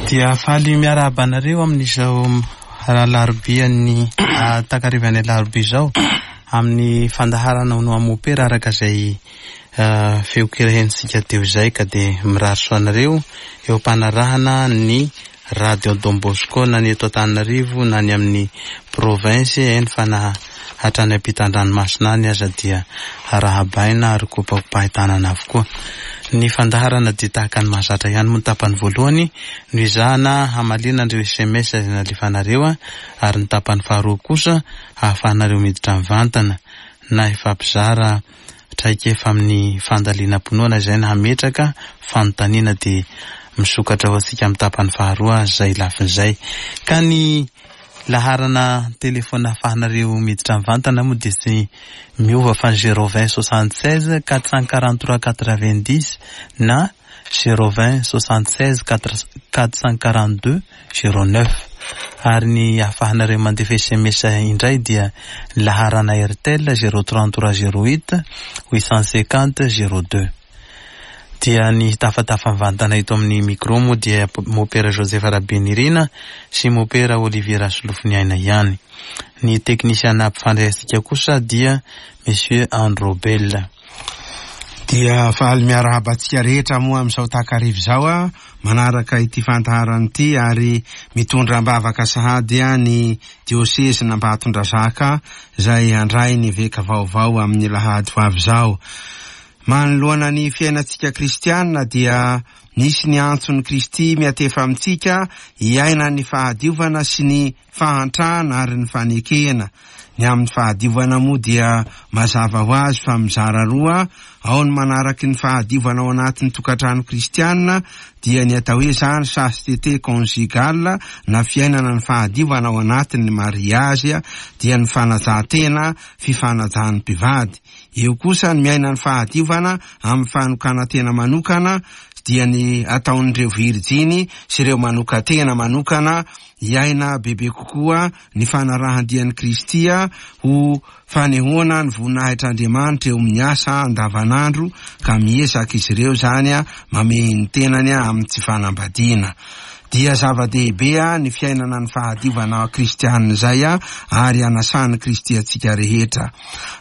Dia faly miarahaba anareo amin'izao alarobian'ny takarivan'ny alarobia izao amin'ny fandaharana ho noa mopera araka izay feon-kira henontsika teo izay ka dia mirary soa anareo eo am-panarahana ny Radio Don Bosco na ny eto Antananarivo na ny amin'ny province eny fa na hatrany ampitan-dranomasina any aza dia arahabaina ary kopakopahin-tanana avokoa. Ny fandaharana dia tahaka ny mahazatra ihany moa ny tapany voalohany no ezahana hamaliana an'ireo sms izay nalefanareo ary ny tapany faharoa kosa ahafahanareo miditra mivantana na hifampizara traikefa amin'ny fandalinam-pinoana izay na hametraka fanontaniana dia misokatra ho antsika amin'ny tapany faharoa izay lafiny izay. Ka ny laharana telefaonina ahafahanareo miditra mivantana moa dia tsy miova fa ny 020 76 443 90 na 020 76 442 09 ary ny ahafahanareo mandefa sms indray dia ny laharana Airtel 033 08 850 02. Dia ny hitafatafa mivantana eto amin'ny micro moa dia Mopera Joseph Rabenirina sy Mopera Olivier Rasolofoniaina ihany. Ny teknisiana mpifandray antsika kosa dia Monsieur Androbel. Dia faly miarahaba antsika rehetra moa amin'izao takariva izao manaraka ity fandaharana ity ary mitondra am-bavaka sahady ny diosezin'Ambatondrazaka izay handray ny eveka vaovao amin'ny alahady ho avy izao. Manoloana ny fiainantsika kristiana dia nisy ny antson'i Kristy miatefa amintsika hiaina ny fahadiovana sy ny fahantrana ary ny fanekena. Ny amin'ny fahadiovana moa dia mazava ho azy fa mizara roa, ao ny manaraky ny fahadiovana ao anatin'ny tokantrano kristiana dia ny atao hoe izany chasteté conjugale na fiainana ny fahadiovana ao anatin'ny mariazy dia ny fanajan-tena, fifanajan'ny mpivady. Eo kosa ny miaina ny fahadiovana amin'ny fanokanan-tena manokana dia ny ataon'ireo virijiny sy ireo manokan-tena manokana hiaina bebe kokoa ny fanarahan-dian'i Kristy ho fanehoana ny voninahitr'Andriamanitra eo amin'ny asa andavanandro ka miezaka izy ireo izany mamehy ny tenany amin'ny tsy fanambadiana. Dia zava-dehibe ny fiainana ny fahadiovana kristianina izay ary anasan'i Kristy antsika rehetra.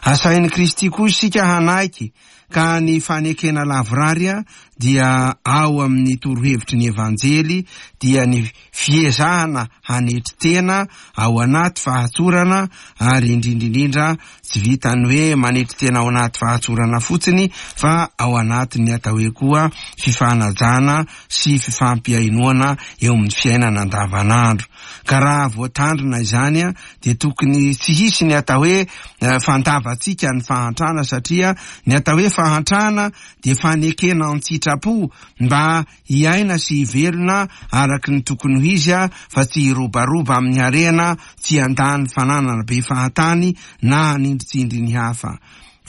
Asain'i Kristy koa isika hanaiky ka ny fanekena lavorary dia ao amin'ny torohevitry ny Evanjely dia ny fiezahana hanetry tena ao anaty fahatsorana ary indrindra indrindra tsy vitan'ny hoe manetry tena ao anaty fahatsorana fotsiny fa ao anatin'ny atao hoe koa fifanajana sy fifampihainoana eo amin'ny fiainana andavanandro. Ka raha voatandrina izany dia tokony tsy hisy ny atao hoe fandavantsika ny fahantrana satria ny atao hoe fahantrana dia fanekena an-tsitrapo mba hiaina sy hivelona araka ny tokony ho izy fa tsy hirobaroba amin'ny harena, tsy handany fananana be fahatany na hanindritsindry ny hafa.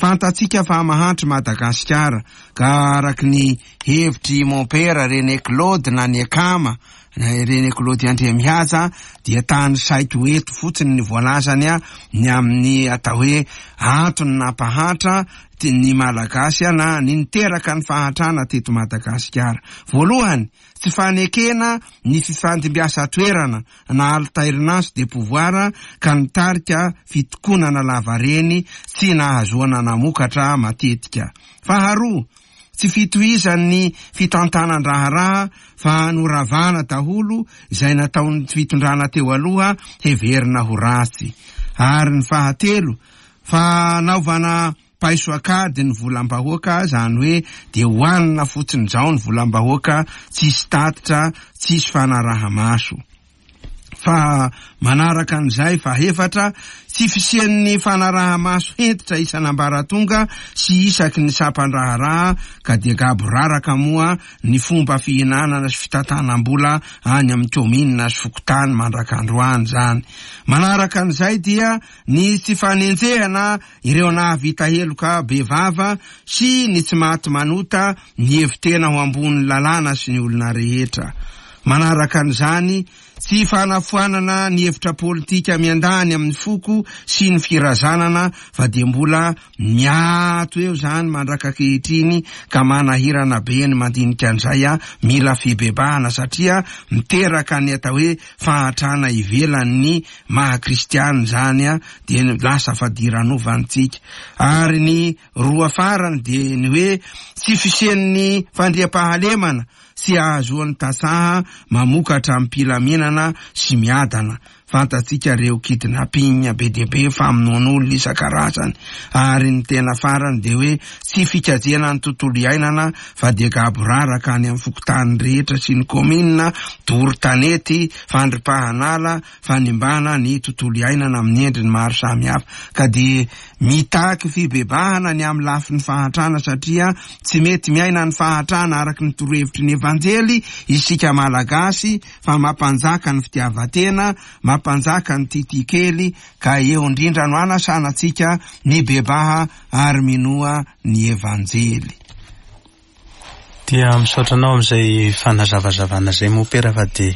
Fantatsika fa mahantra i Madagasikara ka araka ny hevitr'i Mompera René Claude na ny Akama René Claude Andriamihaja dia tanisaiko eto fotsiny ny voalazany ny amin'ny atao hoe antony nampahantra ny Malagasy na ny niteraka ny fahantrana teto Madagasikara. Voalohany, tsy fanekena ny fifandimbiasan-toerana na alternance de pouvoir ka nitarika fitokonana lavareny tsy nahazoana namokatra matetika. Faharoa, tsy fitohizan'ny fitantanan-draharaha fa noravana daholo izay nataon'ny fitondrana teo aloha heverina ho ratsy. Ary ny fahatelo, fanaovana paiso an-kady ny volam-bahoaka, izany hoe dia hohanina fotsiny izao ny volam-bahoaka, tsisy tatitra, tsisy fanaraha-maso. Fa manaraka an'izay, fahefatra, tsy fisian'ny fanaraha-maso hentitra isan'ambaratonga sy isaky ny sampan-draharaha ka dia gaboraraka moa ny fomba fihinanana sy fitantanam-bola any amin'ny kaominina sy fokontany mandrak'androany izany. Manaraka an'izay dia ny tsy fanenjehana ireo nahavita heloka bevava sy ny tsy maty manota nihevi-tena ho ambonin'ny lalàna sy ny olona rehetra. Manaraka an'izany, tsy fanafoanana ny hevitra politika miandany amin'ny foko sy ny firazanana fa dia mbola miato eo izany mandrak'ankehitriny ka manahirana be ny mandinika an'izay a, mila fibebahana satria miteraka ny atao hoe fahantrana ivelan'ny maha kristiana izany a, dia lasa fadiranovana-tsika. Ary ny roa farany dia ny hoe tsy fisian'ny fandriampahalemana sy ahazoan'ny tantsaha mamokatra amim-pilaminana sy miadana. Fantatsika ireo kidnapping be dia be, famonoan'olona isan-karazany. Ary ny tena farany dia hoe tsy fikajiana ny tontolo iainana fa dia gaboraraka any amin'ny fokontany rehetra sy ny kaominina, doro tanety, fandripahan'ala, fanimbana ny tontolo iainana amin'ny endriny maro samihafa. Ka dia Mitaky fibebahana ny amin'ny lafiny fahantrana satria tsy mety miaina ny fahantrana araka ny torohevitry ny Evanjely isika Malagasy fa mampanjaka ny fitiavan-tena, mampanjaka ny titia kely ka eo indrindra no anasana antsika mibebaha ary minoa ny Evanjely. Dia misaotra anao amin'izay fanazavazavana izay mompera fa dia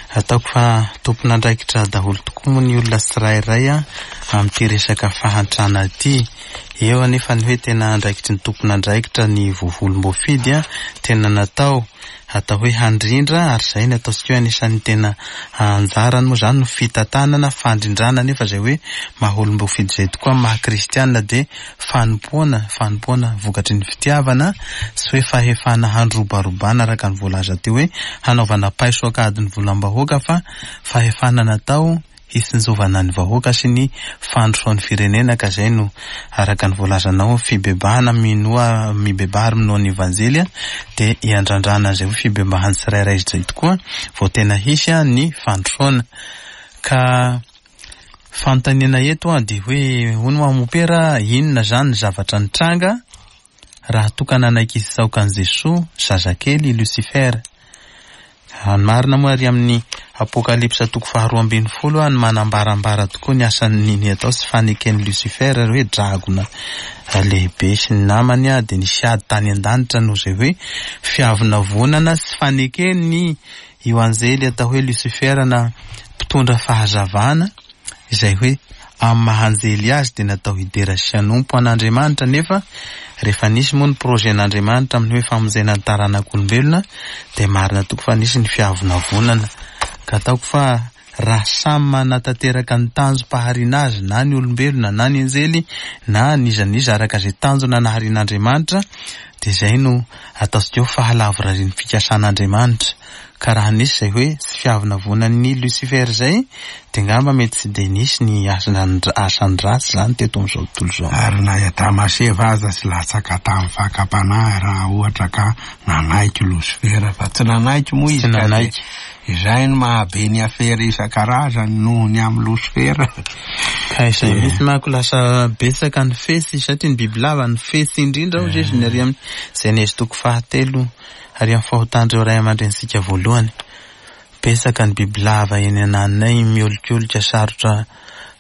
ataoko fa tompon'andraikitra daholo tokoa moa ny olona tsirairay amin'ity resaka fahantrana ity. Eo anefa ny hoe tena andraikitry ny tompon'andraikitra ny voavolom-boafidy tena natao atao hoe handrindra ary izay ny ataontsika hoe anisan'ny tena anjarany moa izany no fitantanana, fandrindrana anefa izay hoe maha olom-boafidy izay tokoa amin'ny maha kristiana dia fanompoana, fanompoana vokatry ny fitiavana, tsy hoe fahefana handrobarobana araka ny voalaza teo hoe hanaovana paiso ankady ny volam-bahoaka fa fahefana natao hitsinjovana ny vahoaka sy ny fandrosoan'ny firenena ka izay no araka ny voalazanao fibebahana minoa mibebaha ary minoa ny evanjely dia iandrandrana an'izay hoe fibebahan'ny tsirairay izay tokoa vao tena hisy ny fandrosoana ka Fanontaniana eto an dia hoe hono hoa mopera inona zany ny zavatra nitranga raha toa ka nanaiky hisaoka an'i Jesoa zazakely i Lucifer? Ny marina moa ary amin'ny Apokalypsa toko faharoa ambinifolo no manambarambara tokoa ny asan'ny ny atao sy faneken'i Lucifer hoe dragona lehibe sy ny namany dia nisy ady tany an-danitra noho izay hoe fiavonavonana sy fanekeny Io anjely atao hoe Lucifer na mpitondra fahazavana, izay hoe amin'ny maha anjely azy dia natao hidera sy hanompo an'Andriamanitra nefa rehefa nisy moa ny projet-n'Andriamanitra amin'ny hoe famonjena ny taranak'olombelona dia marina tokoa fa nisy ny fiavonavonana ka ataoko fa raha samy manatanteraka ny tanjom-pahariana azy na ny olombelona na ny anjely na n'iza n'iza araka izay tanjona naharian'Andriamanitra dia izay no ataontsika hoe fahalavorarian'ny fikasan'Andriamanitra ka raha nisy izay hoe tsy fiavonavonan'i Lucifer izay dia angamba mety tsy dia nisy ny asany ratsy izany teto amin'izao tontolo izao. Ary na i Adama sy Eva aza tsy latsaka tamin'ny fakam-panahy raha ohatra ka nanaiky Losifera fa tsy nanaiky moa izy ka dia Izay no maha be ny afera isan-karazany noho ny amin'ny losifera. Ka izay mihitsy manko lasa betsaka ny fetsy satria ny bibilava ny fetsy indrindra hozy izy ny ary amin'ny Genezy toko fahatelo ary amin'ny fahotan'ireo ray aman-drenintsika voalohany. Betsaka ny bibilava eny ananinay miolikolika sarotra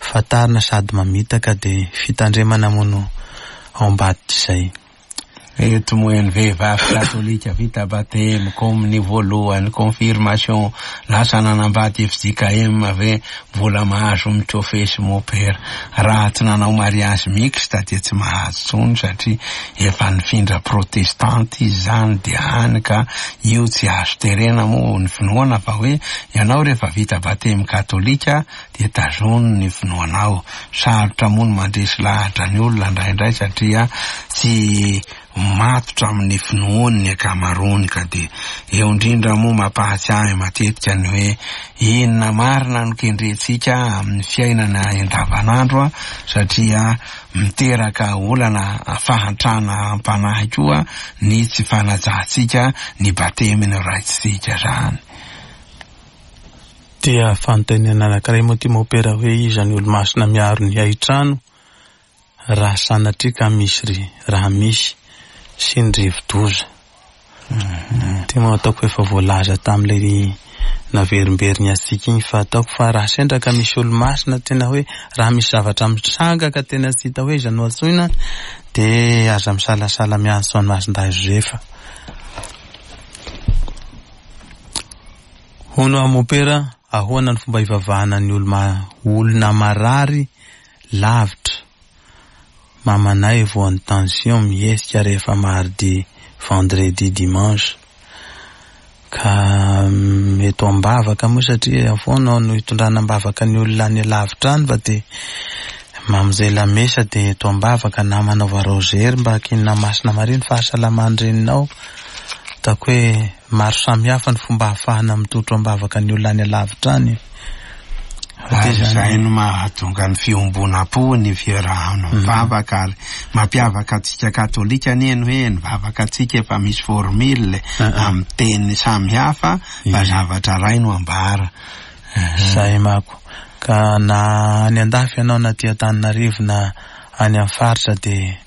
fantarina sady mamitaka dia fitandremana moa no ao ambadik'izay. Eto moa ny vehivavy katolika vita batemy, kominy voalohany, confirmation, lasa nanambady fjkm ve mbola mahazo mikofesy mopera? Raha tsy nanao mariage mixte dia tsy mahazo tsony satria efa nifindra protestante izy zany dia hany ka io tsy azo terena moa ny finoana fa hoe ianao rehefa vita batemy katolika dia tazony ny finoanao. Sarotra moa ny mandresy lahatra ny olona indraindray satria tsy matotra amin'ny finoany ny ankamaroany ka dia eo indrindra moa mampahatsiahy matetika ny hoe inona marina no kendrentsika amin'ny fiainana andavanandro satria miteraka olana fahantrana am-panahy koa ny tsy fanajantsika ny batemy noraisitsika izany. Dia fanontaniana anankiray moa ity Mopera hoe iza ny olomasina miaro ny haitrano raha sanatria ka misy ry raha misy sy ny rivodoza. Ity moa ataoko efa voalaza tamin'ilay naverimberiny antsika iny fa ataoko fa raha sendra ka misy olomasina tena hoe raha misy zavatra mitranga ka tena tsy hita hoe iza no antsoina dia aza misalasala miantso an'i Masindahy Josefa. Hono aho mopera, ahoana ny fomba hivavahana ny olona marary lavitra? Mamanay voan'ny tension mihetsika rehefa mardi, vendredi, dimanche. Ka eto am-bavaka moa satria foana no hitondrana am-bavaka ny olona any lavitra any fa dia mamonjy lamesa dia eto am-bavaka na manaova rozery mba hakinina Masina Maria ny fahasalaman'ny reninao. Ataoko hoe maro samihafa ny fomba ahafahana mitotro am-bavaka ny olona any alavitra any. Ary izay no mahatonga ny fiombonam-po, ny fiarahana mivavaka ary mampiavaka antsika katolika anie ny hoe ny vavaka antsika efa misy formule amin'ny teny samihafa fa zavatra iray no ambara. Izay manko. Ka na any an-dafy ianao na aty Antananarivo na any amin'ny faritra dia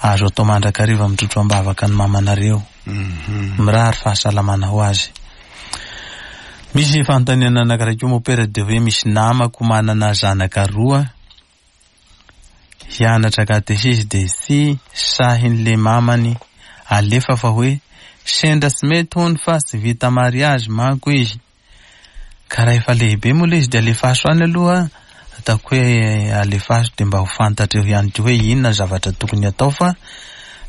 azo atao mandrakariva mitrotro am-bavaka ny mamanareo. Mirary fahasalamana ho azy. Misy fanontaniana anankiray koa mopera dia hoe misy namako manana zanaka roa hianatra katesizy dia tsy sahin'le mamany alefa fa hoe sendra tsy mety hono fa tsy vita mariazy manko izy. Ka raha efa lehibe moa ilay izy dia alefaso any aloha, ataoko hoe alefaso dia mba ho fantatra eo ihany koa hoe inona ny zavatra tokony hatao fa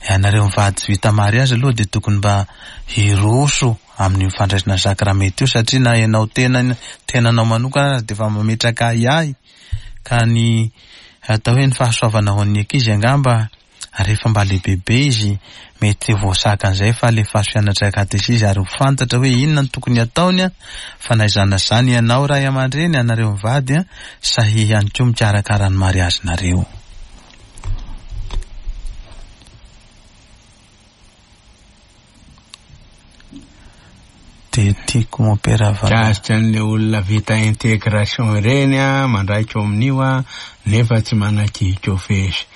ianareo mivady tsy vita mariazy aloha dia tokony mba hiroso amin'io fandraisana ny sakramenta io satria na ianao tena tenanao manokana aza dia efa mametraka ahiahy ka ny atao hoe ny fahasoavana ho an'ny ankizy angamba Rehefa mba lehibebe izy, mety ho voasakan'izay fa alefaso hianatra katesizy ary ho fantatra hoe inona no tokony hataony an! Fa na izany na izany ianao ray aman-dreny, ianareo mivady an, sahia ihany koa mikarakara ny mariazinareo. Dia tiako mompera va. Mikasika an'ilay olona vita intégration ireny an, mandraika ao amin'io an, nefa tsy manan-kikofesy.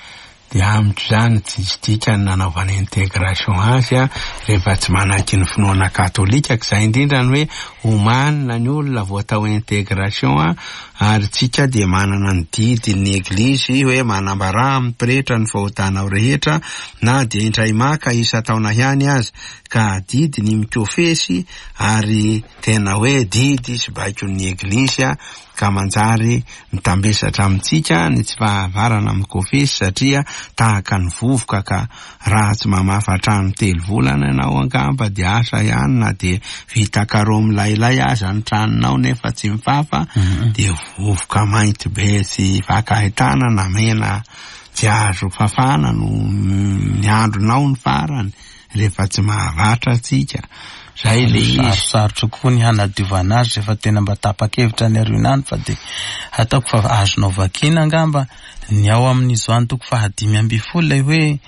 Dia amiko izany tsisy dikany nanaovana intégration azy an, rehefa tsy manaiky ny finoana katolika, ka izay indrindra ny hoe omanina ny olona vao atao intégration an, ary tsika dia manana ny didin'ny eglizy hoe manambarà amin'ny pretra ny fahotanao rehetra na dia indray maka isan-taona ihany aza, ka adidy ny mikofesy ary tena hoe didy sy baikon'ny eglizy an, ka manjary mitambesatra amintsika ny tsy fahavarana mikofesy satria tahaka ny vovoka ka raha tsy mamafa trano telo volana ianao angamba dia asa ihany na dia vita carreau milailay aza ny tranonao nefa tsy mifafa dia vovoka mainty be tsy fankahitana na mena tsy azo fafana no ny andronao ny farany rehefa tsy mahavatra antsika. Zay le izy. Sarosarotra koa ny hanadiovana azy rehefa tena mba tapa-kevitra ny aoriana any fa dia ataoko fa azonao vakiana angamba ny ao amin'ny Joany toko faha-15 ilay hoe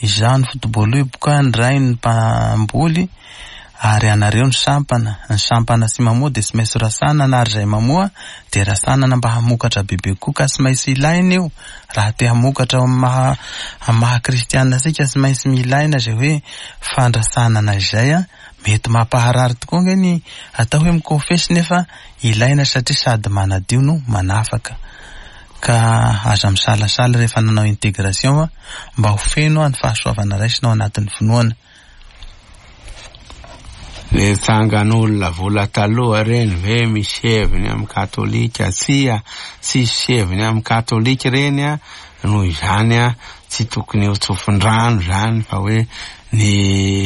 izaho ny foto-boaloboka, ny Ray ny mpamboly ary anareo ny sampana. Ny sampana tsy mamoa dia tsy maintsy rasanana ary izay mamoa dia rasanana mba hamokatra bebe kokoa ka tsy maintsy ilaina io. Raha te hamokatra ao amin'ny maha amin'ny maha kristiana antsika tsy maintsy milaina izay hoe fandrasanana izay an, mety mampaharary tokoa ange ny atao hoe mikofesy nefa ilaina satria sady manadio no manafaka. Ka aza misalasala rehefa nanao intégration mba ho feno ny fahasoavana raisina ao anatin'ny finoana. Le tsangan'olona vola taloha reny ve misy heviny amin'ny katolika? Tsia, tsisy heviny amin'ny katolika ireny a, noho izany a, tsy tokony ho tsofin-drano izany fa hoe ny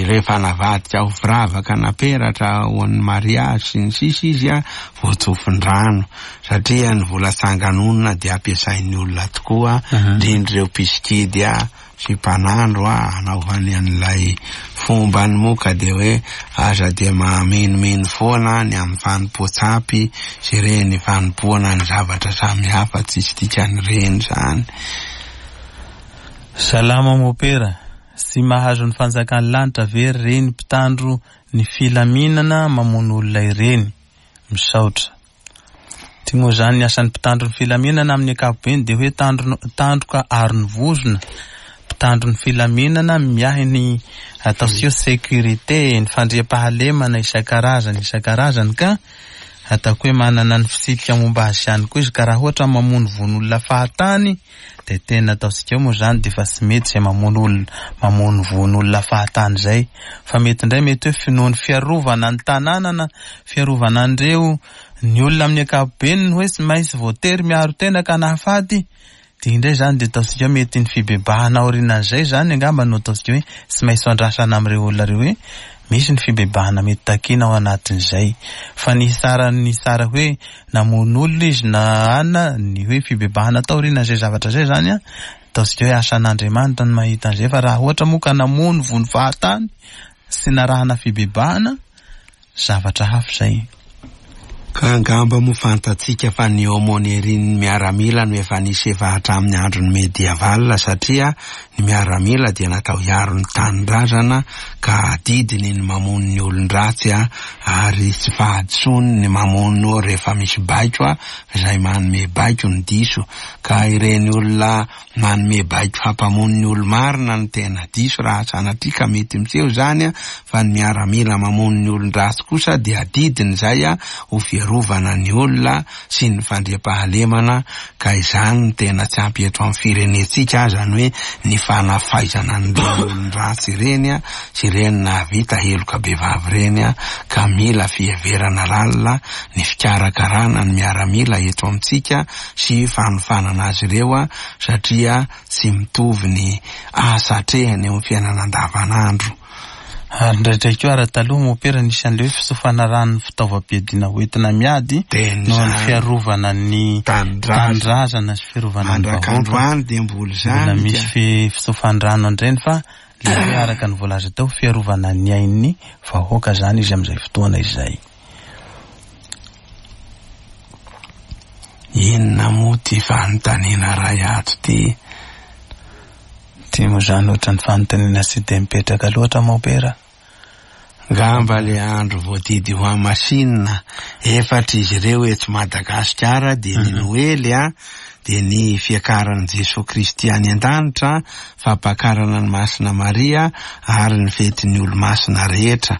rehefa navadika ho firavaka na peratra ho an'ny mariazy sy ny sisa izy a, vao tsofin-drano satria ny vola tsangan'olona dia ampiasain'ny olona tokoa, indrindra ireo mpisikidy a. sy mpanandro a hanaovany an'ilay fombany moa ka dia hoe aza dia mahamenomenon foana ny amin'ny fanompoan-tsampy sy ireny fanompoana ny zavatra samihafa tsisy dikany ireny izany. Salama Mopera, tsy mahazo ny fanjakan'ny lanitra ve reny mpitandro ny filaminana mamono olona ireny? Misaotra. Ty moa izany ny asan'ny mpitandro ny filaminana amin'ny ankapobeny dia hoe tandro, tandroka aro ny vozona, mpitandro ny filaminana miahy ny ataontsika hoe sécurité, ny fandriampahalemana isan-karazany isan-karazany ka ataoko hoe manana ny fitsipika momba azy ihany koa izy, ka raha ohatra mamono vono olona fahatany dia tena ataontsika eo moa izany dia efa tsy mety izay mamono olona, mamono vono olona fahatany izay, fa mety indray mety hoe finoan'ny fiarovana ny tanàna na fiarovana an'ireo ny olona amin'ny ankapobeny ny hoe tsy maintsy voatery miaro tena ka nahafaty. Dia indray izany dia ataontsika hoe mety ny fibebahana aorianan'izay izany angamba no ataontsika hoe tsy maintsy andrasana amin'ireo olona ireo hoe misy ny fibebahana mety takiana ao anatin'izay. Fa ny hitsara ny hitsara hoe namono olona izy na anona, ny hoe fibebahana taorianan'izay zavatra izay izany an, ataontsika hoe asan'Andriamanitra ny mahita an'izay fa raha ohatra moa ka namono vono fahatany tsy narahana fibebahana, zavatra hafa izay. Ka angamba moa fantatsika fa ny aumônerie-n'ny miaramila no efa nisy efa hatramin'ny andron'ny medieval satria ny miaramila dia natao hiaro ny tanindrazana ka adidiny ny mamono ny olon-dratsy ary tsy fahadisoany ny mamono rehefa misy baiko izay manome baiko ny diso ka ireny olona Manome baiko hampamono ny olo-marina no tena diso raha sanatria ka mety miseho izany fa ny miaramila mamono ny olon-dratsy kosa dia adidiny izay ho fiarovana ny olona sy ny fandriampahalemana ka izany no tena tsy ampy eto amin'ny firenentsika aza ny hoe ny fanafaizana an'ireny olon-dratsy ireny sy ireny nahavita heloka bevava ireny ka mila fiheverana lalina ny fikarakarana ny miaramila eto amintsika sy fanofanana azy ireo satria tsy mitovy ny asa atrehiny eo amin'ny fiainana andavanandro. Ary indraindray koa ara taloha mopera nisy an'ilay hoe fitsofana rano ny fitaovam-piadiana hoentina miady noho ny fiarovana ny tanindrazana sy fiarovana ny vahoaka. Mandrak'androany dia mbola izany. Mbola misy fitsofan-drano an'ireny fa ilay hoe araka ny voalaza teo fiarovana ny ain'ny vahoaka izany izy amin'izay fotoana izay. Inona moa ty fanontaniana ray ato ty? Ty moa zany ohatran'ny fanontaniana tsy dia mipetraka loatra Mopera. Ngamba le andro voadidy ho hamasinina efatra izy ireo eto Madagasikara dia ny Noely a, dia ny fiakaran'i Jesoa Kristy any an-danitra, fampakarana an'i Masina Maria ary ny fetin'ny olomasina rehetra.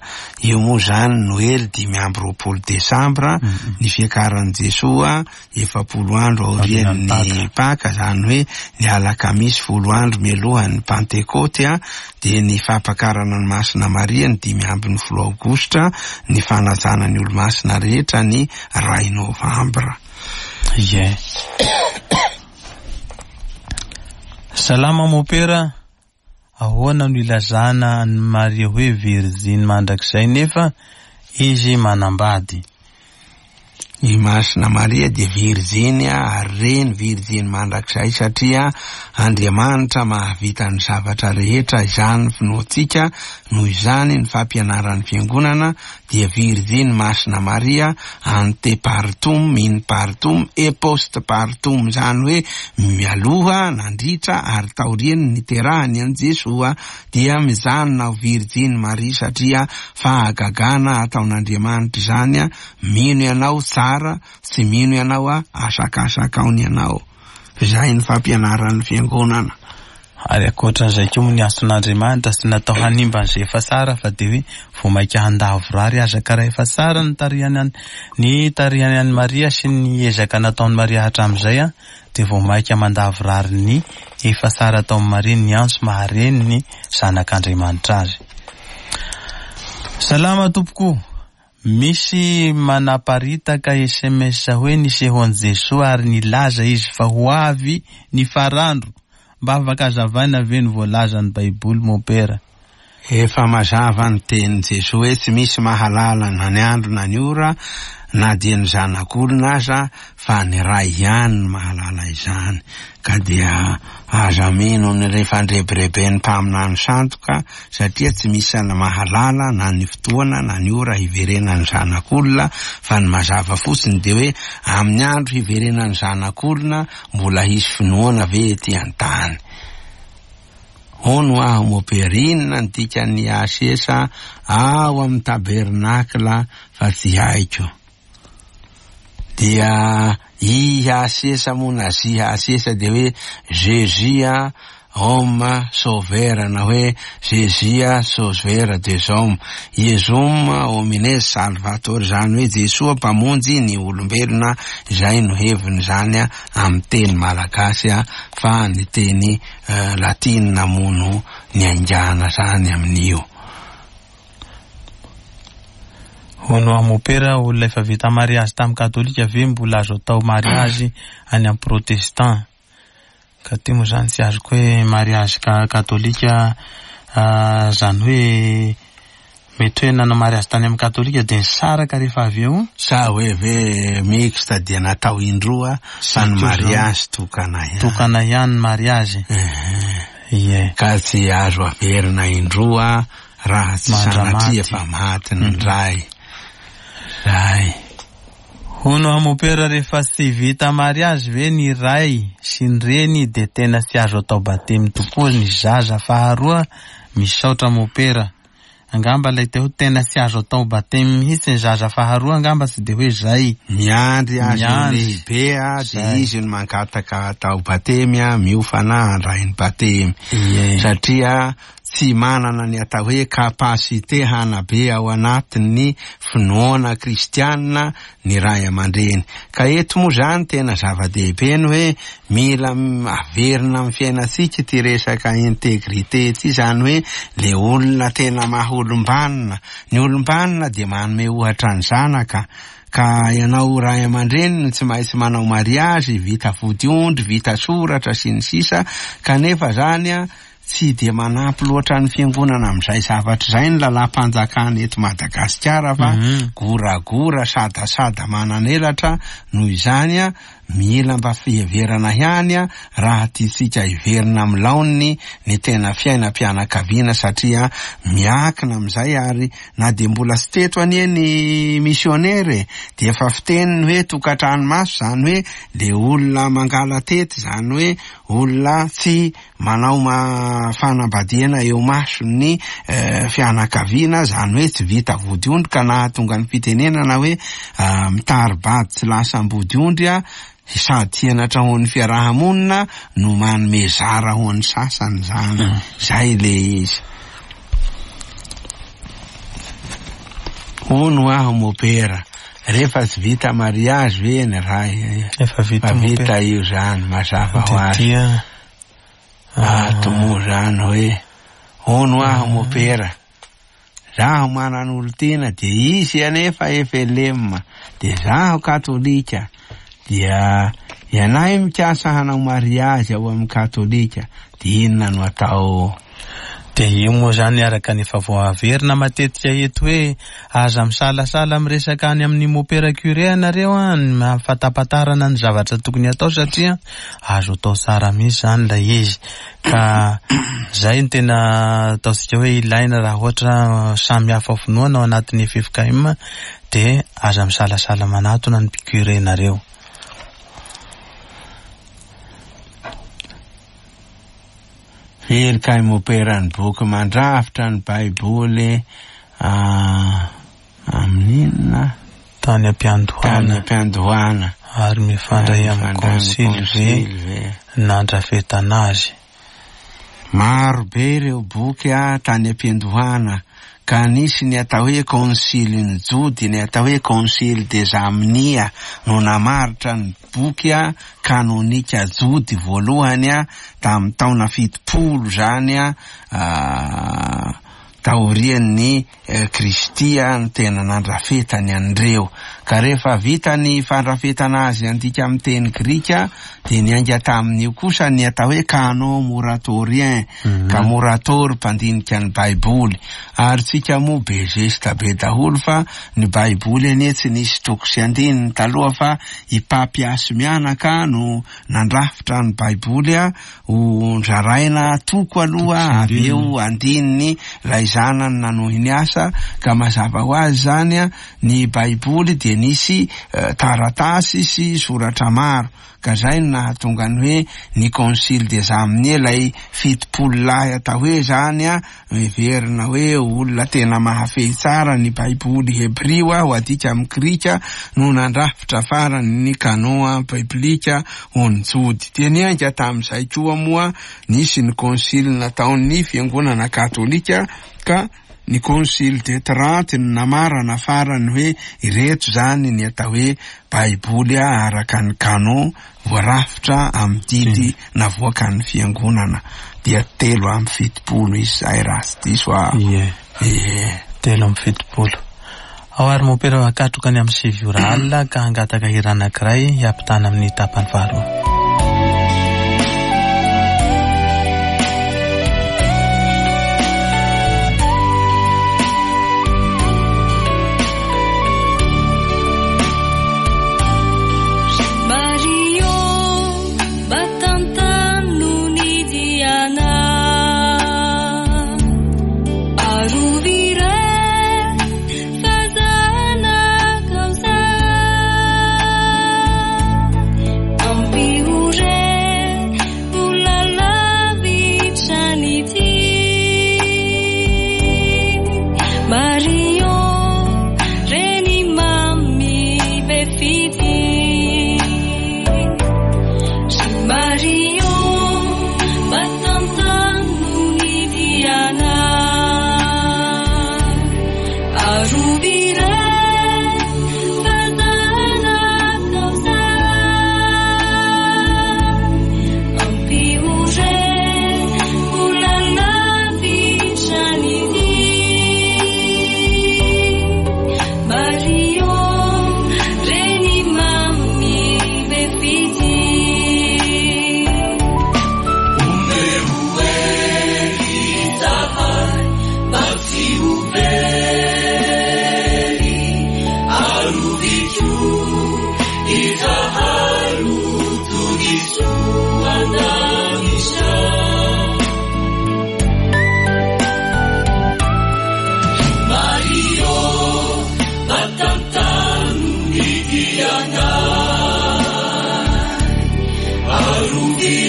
Io moa izany Noely 25 desambra, ny fiakaran'i Jesoa 40 andro aorian'ny Paka, izany hoe ny alakamisy folo andro mialohan'ny Pantekoty, dia ny fampakarana an'i Masina Maria ny 15 aogositra, ny fanajana ny olomasina rehetra ny iray novambra. Ie. Salama Mopera, ahoana no ilazana an'i Maria hoe virjiny mandrakizay nefa izy manambady? I Masina Maria dia virjiny ary reny virjiny mandrakizay satria Andriamanitra mahavita ny zavatra rehetra izany finoantsika, noho izany ny fampianaran'ny Fiangonana dia Virjiny Masina Maria ante partum, in partum et post partum, izany hoe mialoha, nandritra ary taorian'ny niterahany an'i Jesoa, dia mijanona ho Virjiny Maria satria fahagagana ataon'Andriamanitra izany, mino ianao tsara, tsy mino ianao asakasakao ny anao. Izay ny fampianaran'ny Fiangonana. Ary ankoatran'izay koa moa ny antson'Andriamanitra tsy natao hanimba an'izay efa tsara fa dia hoe vao mainka handavorary aza ka raha efa tsara ny tarihany an ny tarihany an'i Maria sy ny ezaka nataon'i Maria hatramin'izay an dia vao mainka mandavorary ny efa tsara ataon'i Maria ny antso mahareny ny zanak'Andriamanitra azy. Salama tompoko. Misy manaparitaka sms hoe nisehoan'i Jesoa ary nilaza izy fa ho avy ny farandro. Mba afaka azavaina ve ny voalazan'ny baiboly Mompera? Efa mazava ny tenin'i Jesoa hoe tsy misy mahalala na ny andro na ny ora na dia ny zanak'olona aza fa ny Ray ihany no mahalala izany, ka dia aza mino ny fandrebireben'ny mpaminany sandoka, satria tsy misy mahalala na ny fotoana na ny ora hiverenan'ny Zanak'olona, fa ny mazava fotsiny dia hoe amin'ny andro hiverenan'ny Zanak'olona mbola hisy finoana ve ety an-tany? Hono aho mopera, inona ny dikan'ny asesa ao amin'ny tabernakla fa tsy haiko? Dia i asesa moa na zy asesa dia hoe Jesus a. Homme Sauveur na hoe Jésus Sauveur des hommes, Iesum homines salvator, izany hoe Jesoa Mpamonjy ny olombelona, izay no heviny izany amin'ny teny malagasy fa ny teny latinina moa no niaingàna izany amin'io. Hono aho mopera, olona efa vita mariazy tamin'ny katolika ve mbola azo atao mariazy any amin'ny protestant? Ka ty moa zany tsy azoko hoe mariazy katolika zany hoe mety hoe nanao mariazy tany amin'ny katolika dia nisaraka rehefa avy eo. Sa hoe ve mixte dia natao indroa fa ny mariazy tokana ihany. Tokana ihany ny mariazy. Ie. Ka tsy azo averina indroa raha tsy sanatria fa maty ny ray. Zay. Hono aho mopera rehefa tsy vita mariazy ve ny ray sy ny reny dia tena tsy azo atao batemy tokoa ny zaza faharoa? Misaotra mopera. Angamba ilay te ho tena tsy azo atao batemy mihitsy ny zaza faharoa angamba tsy dia hoe zay. Miandry azy ho lehibe dia izy no mangataka atao batemy miofana handray ny batemy. Satria tsy manana ny atao hoe capacité hanabe ao anatin'ny finoana kristianina ny ray aman-dreny. Ka eto moa izany tena zava-dehibe ny hoe mila averina amin'ny fiainantsika ity resaka intégrité ity, izany hoe le olona tena maha olom-banona. Ny olom-banona dia manome ohatra ny zanaka. Ka ianao ray aman-dreny no tsy maintsy manao mariazy, vita vodiondry, vita soratra sy ny sisa, kanefa zany an, Tsy dia manampy loatra ny fiangonana amin'izay zavatra izay ny lalàm-panjakana eto Madagasikara fa goragora sadasada manan'elatra, noho izany mila mba fiheverana ihany raha tiantsika hiverina amin'ny laoniny ny tena fiainam-pianakaviana satria miankina amin'izay ary na dia mbola tsy teto anie ny misionera e dia efa fiteny ny hoe tokantrano maso izany hoe le olona mangala-tety izany hoe olona tsy Manao fanambadiana eo mason'ny fianakaviana, izany hoe tsy vita vodiondry ka nahatonga ny fitenenana hoe mitari-bady tsy lasa ambodiondry sady henatra ho an'ny fiaraha-monina no manome zara ho an'ny sasany izany. Izay ilay izy. Hono aho mopera, rehefa tsy vita mariazy ve ny ray? Efa vita, vita io izany, mazava ho azy. Ato moa zany hoe, hono aho mopera, zaho manan'olon-tiana dia izy anefa FLM, dia zaho katolika, dia ianay mikasa hanao mariazy ao amin'ny katolika, dia inona no atao? Dia io moa izany araka ny efa voaverina matetika eto hoe aza misalasala miresaka any amin'ny mopera curé ianareo an, ny fahafantapantarana ny zavatra tokony hatao satria azo atao tsara mihitsy izany ilay izy. Ka izay no tena ataontsika hoe ilaina raha ohatra samy hafa finoana ao anatin'ny ffkm dia aza misalasala manatona ny curé nareo. Firy kay mopera ny boky mandrafitra ny baiboly amin'inona? Tany am-piandohana. Tany am-piandohana. Ary mifandray amin'ny konsily ve nandrafetana azy? Maro be ireo boky tany am-piandohana ka nisy ny atao hoe Kônsilin'ny Jody, ny atao hoe Kônsily des Amnia no namaritra ny boky kanônika jody voalohany tamin'ny taona 70 izany taorian'ny Kristy no tena nandrafetany an'ireo. Ka rehefa vita ny fandrafetana azy handika amin'ny teny grika dia niainga tamin'io kosa ny atao hoe canon moratorien, ka moratory mpandinika ny Baiboly. Ary tsika moa be zesta be daholo fa ny Baiboly anie tsy nisy toko sy andininy taloha fa i Papias mianaka no nandrafitra ny Baiboly ho nzaraina toko aloha avy eo andininy ilay. zanany nanohy ny asa ka mazava ho azy izany ny Baiboly dia nisy taratasy sy soratra maro ka izay no nahatonga ny hoe ny Concile des Amniers ilay 70 lahy atao hoe izany heverina hoe olona tena mahafehy tsara ny Baiboly hebrio ho adika amin'ny grika no nandrafitra farany ny canon biblika ho ny Jody. Dia niainga tamin'izay koa moa nisy ny concile nataon'ny fiangonana katolika ka ny concile de Trente no namarana farany hoe ireto izany ny atao hoe Baiboly araka ny canon voarafitra amin'ny didy navoakan'ny fiangonana dia 73 izy izay raha tsy diso aho. Ie. Ie. 73. Ao ary mompera hakatroka ny amin'ny 9 ora alina ka hangataka hira anankiray hiampitana amin'ny tapany faharoa. Mario, mba tantano ny dianay. Arovy iray fa zanakao zahay. Ampio re ho lalavitra ny tia. Mario, reny mamy be fitia. Ry Mario, mba tantano ny dianay. Arovy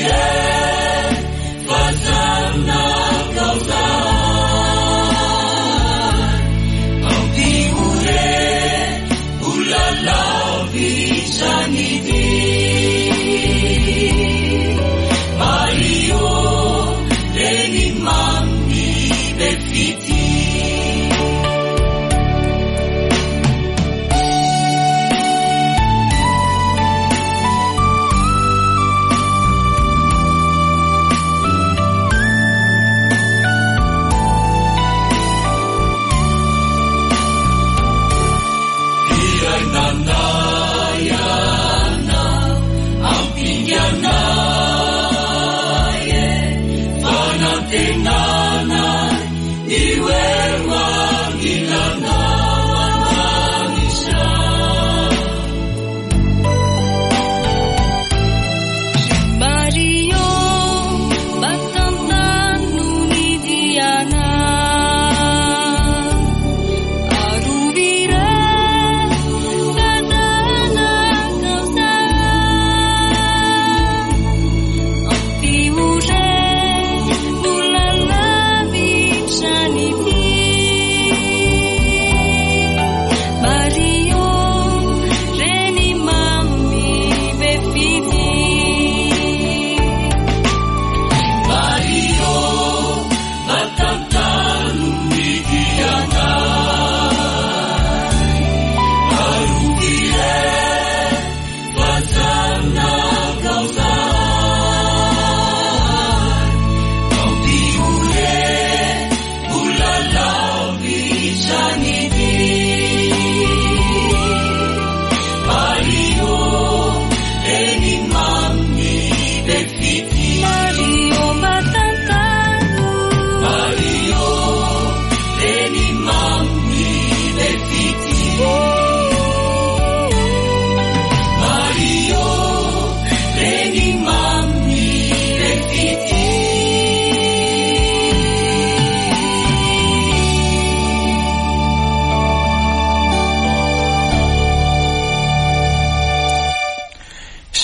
iray fa zanakao zahay. Ampio re ho lalavitra ny dia. Mario, reny mamy be fitia.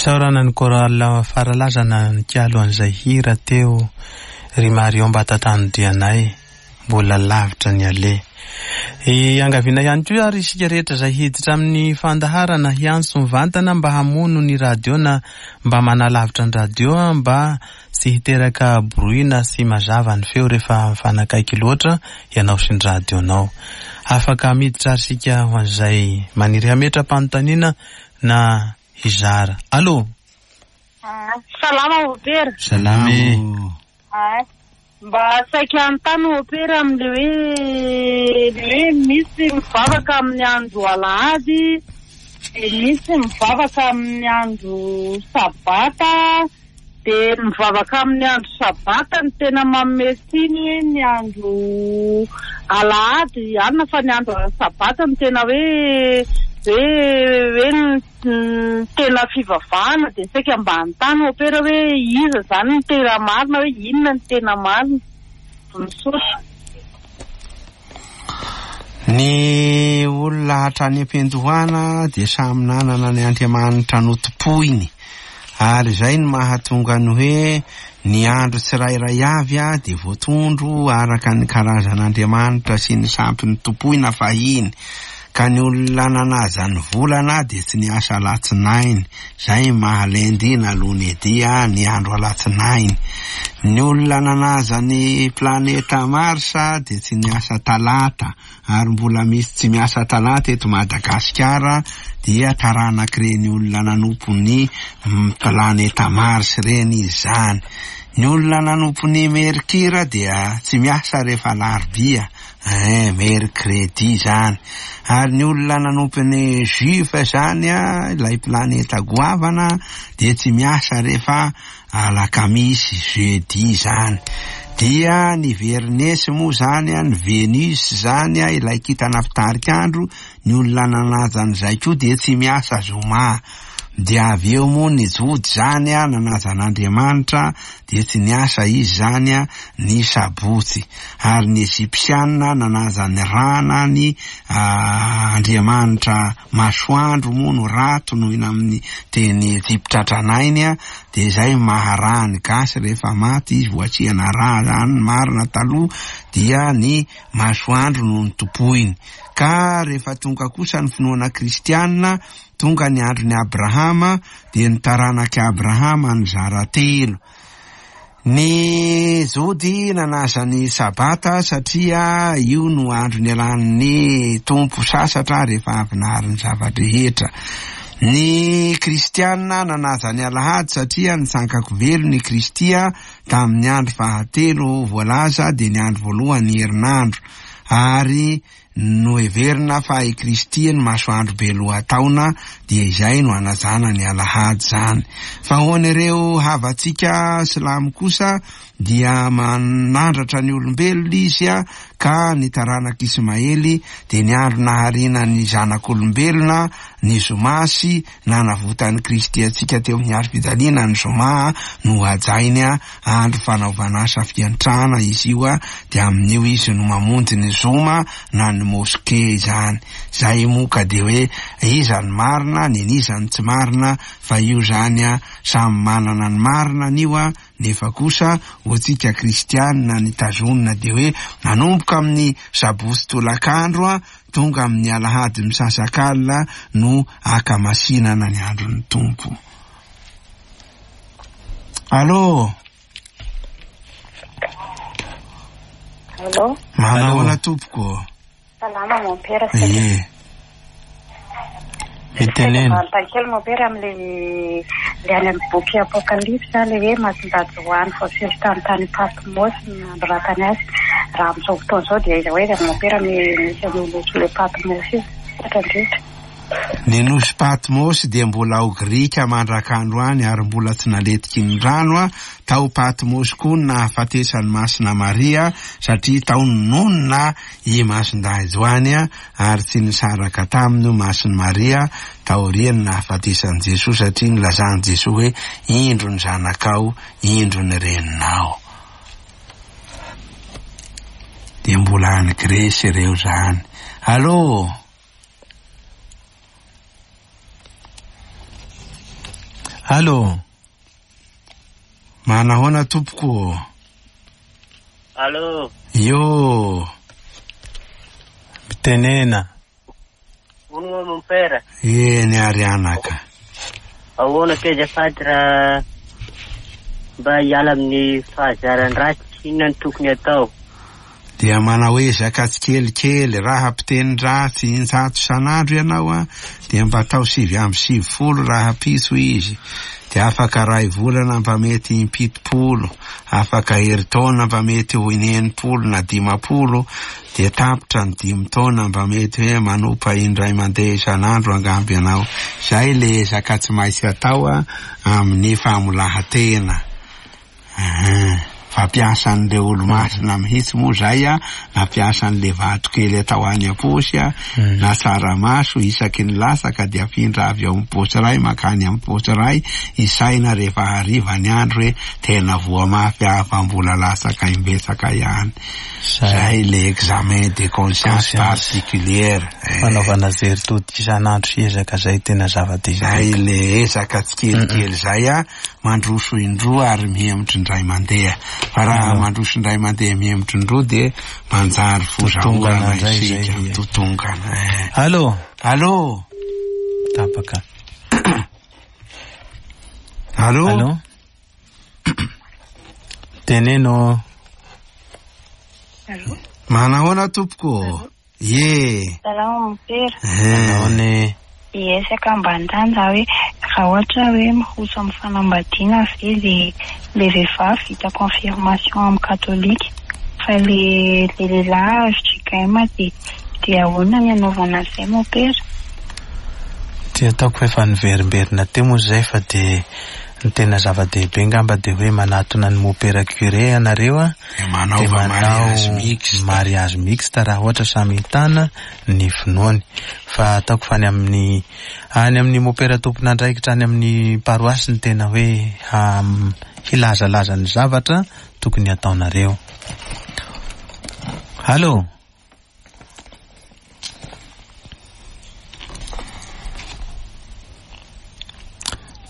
Isaorana ny chorale Faralazana nikalo an'izay hira teo ry Marion mba tantano-dianay mbola lavitra ny aleha. Iangaviana ihany koa ary isika rehetra izay hiditra amin'ny fandaharana hiantso mivantana mba hamono ny radio na mba manalavitra ny radio mba tsy hiteraka bruit na tsy mazava ny feo rehefa mifanakaiky loatra ianao sy ny radio-nao. Afaka miditra ary isika ho an'izay maniry hametra-panontaniana na hizara. Allô? Salama Opera. Salama e. Mba saika hanontany Opera amin'le hoe le hoe misy mivavaka amin'ny andro alahady, dia misy mivavaka amin'ny andro sabata, dia mivavaka amin'ny andro sabata no tena manome tsiny hoe ny andro alahady alina fa ny andro sabata no tena hoe hoe hoe ny tena fivavahana, dia saika mba hanontany Opera hoe iza izany no tena marina, hoe inona no tena marina. Misaotra. Ny olona hatrany am-piandohana dia samy nanana ny Andriamanitra notompoiny, ary izay no mahatonga ny hoe ny andro tsirairay avy dia voatondro araka ny karazan'Andriamanitra sy ny sampy notompoina fahiny. Ka ny olona nanaja ny volana dia tsy niasa alatsinainy, izay maha lundi na lunedi ny andro alatsinainy. Ny olona nanaja ny planeta Mars dia tsy niasa talata, ary mbola misy tsy miasa talata eto Madagasikara dia taranak'ireny olona nanompo ny planeta Mars ireny izy izany. Ny olona nanompo ny Mercure dia tsy miasa rehefa alarobia. Eh, mercredi izany. Ary ny olona nanompo ny juif izany, ilay planeta goavana, dia tsy miasa rehefa alakamisy, jeudi izany. Dia ny Vernesy moa izany, ny Venus izany, ilay kintana mpitarik'andro, ny olona nanaja an'izay koa dia tsy miasa zoma. Dia avy eo moa ny Jody izany nanaja an'Andriamanitra dia tsy niasa izy izany ny sabotsy. Ary ny Egyptiana nanaja ny Ra na ny Andriamanitra masoandro moa no Ra tonoina amin'ny teny Egypta tranainy dia izay maha Ra ny gasy rehefa maty izy voasiana Ra izany ny marina taloha dia ny masoandro no notompoiny. Ka rehefa tonga kosa ny finoana kristiana Tonga ny andron'i Abrahama, dia ny taranak'i Abrahama nizara telo. Ny Jody nanaja ny Sabata satria io no andro nialan'ny Tompo sasatra rehefa avy nahary ny zava-drehetra. Ny Kristiana nanaja ny Alahady satria nitsangan-ko velona i Kristy tamin'ny andro fahatelo voalaza dia ny andro voalohan'ny herinandro ary Noheverina fa i Kristy ny masoandro be lohataona dia izay no anajana ny alahady izany. Fa ho an'ireo havantsika silamo kosa dia manandratra ny olombelona izy ka ny taranak'i Ismaely dia ny andro nahariana ny zanak'olombelona ny zoma sy nanavotan'i Kristy antsika teo amin'ny hazo fijaliana ny zoma no hajainy andro fanaovana asa fiantrana izy io dia amin'io izy no mamonjy ny zoma na ny moske izany. Zay moa ka dia hoe iza ny marina, nen'iza ny tsy marina fa io zany samy manana ny marina an'io nefa kosa ho antsika kristianina ny tazonina dia hoe manomboka amin'ny sabotsy tolakandro tonga amin'ny alahady misasakalina no akamasinana ny andron'ny Tompo. Allô? Allô? Manahoana tompoko? Salama mon père. Ie. Mitenena. Manontany kely mon père amin'le le any amin'ny boky Apokalypse le hoe Masindahy Joany voasely tany tany Patmos ny nanoratany azy. Raha amin'izao fotoana izao dia aiza ho aiza mon père misy an'io nosy le Patmos io? Misaotra indrindra. Ny nosy Patmos dia mbola ao Grika mandrak'androany ary mbola tsy naletiky ny rano. Tao Patmos koa no nahafatesan'i Masina Maria satria tao no nonina i Masindahy Joany ary tsy nisaraka taminy io Masin'i Maria taorian'ny nahafatesan'i Jesoa satria nilazan'i Jesoa hoe indro ny zanakao, indro ny reninao. Dia mbola any Gresy ireo izany. Allo! Allo. Manahoana tompoko? Allo. Yo. Mitenena. Hono mon père. Eny ary anaka. Ahoana ke azafady raha mba hiala amin'ny fahazaran-dratsy, inona no tokony atao? Dia manao ezaka tsikelikely, raha mpiteny ratsy 100 isan'andro ianao a, dia mba atao 99 raha pitso izy. Dia afaka 1 volana mba mety 70, afaka herintaona mba mety ho 60 na 50, dia tapitra ny 5 taona mba mety hoe manopa indray mandeha isan'andro angamba ianao. Izay le ezaka tsy maintsy atao a, amin'ny famolahan-tena. Fampiasan'ireo olo-masina mihitsy moa zay a, nampiasan'le vato kely atao any am-paosy a, na tsaramaso isaky ny latsaka dia afindra avy ao amin'ny paosy iray mankany amin'ny paosy iray, isaina rehefa hariva ny andro hoe tena voa mafy aho fa mbola latsaka imbetsaka ihany. Zay le examen de conscience particulière. Fanaovana jery todika isan'andro sy ezaka zay tena zava-dehibe. Zay le ezaka tsikelikely zay a, mandroso indroa ary mihemotra indray mandeha. Fa raha mandroso indray mandeha mihemotra indroa dia manjary fozaorana isika, mitotongana. Allo. Allo. Tapaka. Allo. Allo. Teneno. Allo. Manahoana tompoko? Ye. Salama mompera. Manahoana. Hiezaka mba hanontany za hoe raha ohatra hoe miroso amin'ny fanambadiana ve le le vehivavy vita confirmation amin'ny katolika fa le le lehilahy FJKM dia dia ahoana ny anaovana an'izay mompera? Ty ataoko fa efa niverimberina teo moa izay fa dia ny tena zava-dehibe angamba dia hoe manatona ny mompera curé ianareo a, Dia manaova mariage mixte. mariage mixte raha ohatra samy hitana ny finoany. Fa ataoko fa any amin'ny any amin'ny mompera tompon'andraikitra any amin'ny paroasy ny tena hoe hilazalaza ny zavatra tokony hataonareo. Allo.